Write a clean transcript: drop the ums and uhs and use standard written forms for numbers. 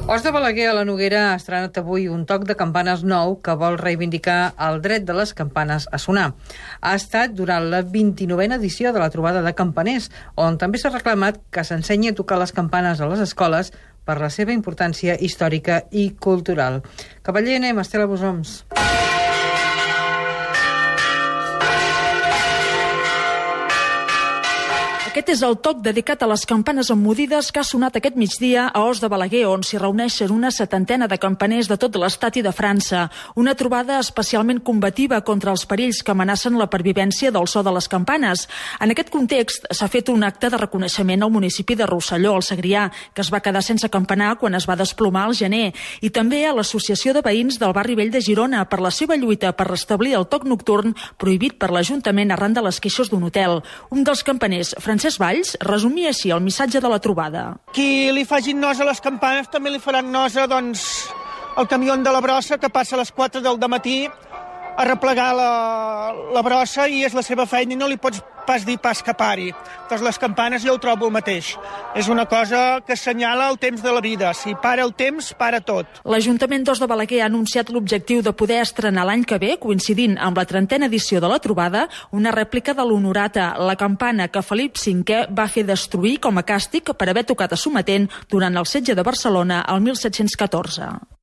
Os de Balaguer a la Noguera ha estrenat avui un toc de campanes nou que vol reivindicar el dret de les campanes a sonar. Ha estat durant la 29a edició de la trobada de campaners, on també s'ha reclamat que s'ensenyi a tocar les campanes a les escoles per la seva importància històrica i cultural. Cavaller, anem, Estela Bosoms. Aquest és el toc dedicat a les campanes emmudides que ha sonat aquest migdia a Os de Balaguer, on s'hi reuneixen una 70 de campaners de tot l'estat i de França. Una trobada especialment combativa contra els perills que amenacen la pervivència del so de les campanes. En aquest context s'ha fet un acte de reconeixement al municipi de Rosselló, al Segrià, que es va quedar sense campanar quan es va desplomar al gener, i també a l'Associació de Veïns del Barri Vell de Girona per la seva lluita per restablir el toc nocturn prohibit per l'Ajuntament arran de les queixes d'un hotel. Un dels campaners, Francesc Valls, resumia així el missatge de la trobada. Qui li facin nosa a les campanes també li faran nosa, doncs, el camió de la brossa que passa a les 4 del matí a replegar la brossa i és la seva feina i no li pots pas dir pas que pari. Doncs les campanes jo ho trobo el mateix. És una cosa que assenyala el temps de la vida. Si para el temps, para tot. L'Ajuntament d'Os de Balaguer ha anunciat l'objectiu de poder estrenar l'any que ve, coincidint amb la 30a edició de la trobada, una rèplica de l'Honorata, la campana que Felip V va fer destruir com a càstig per haver tocat a Sometent durant el setge de Barcelona el 1714.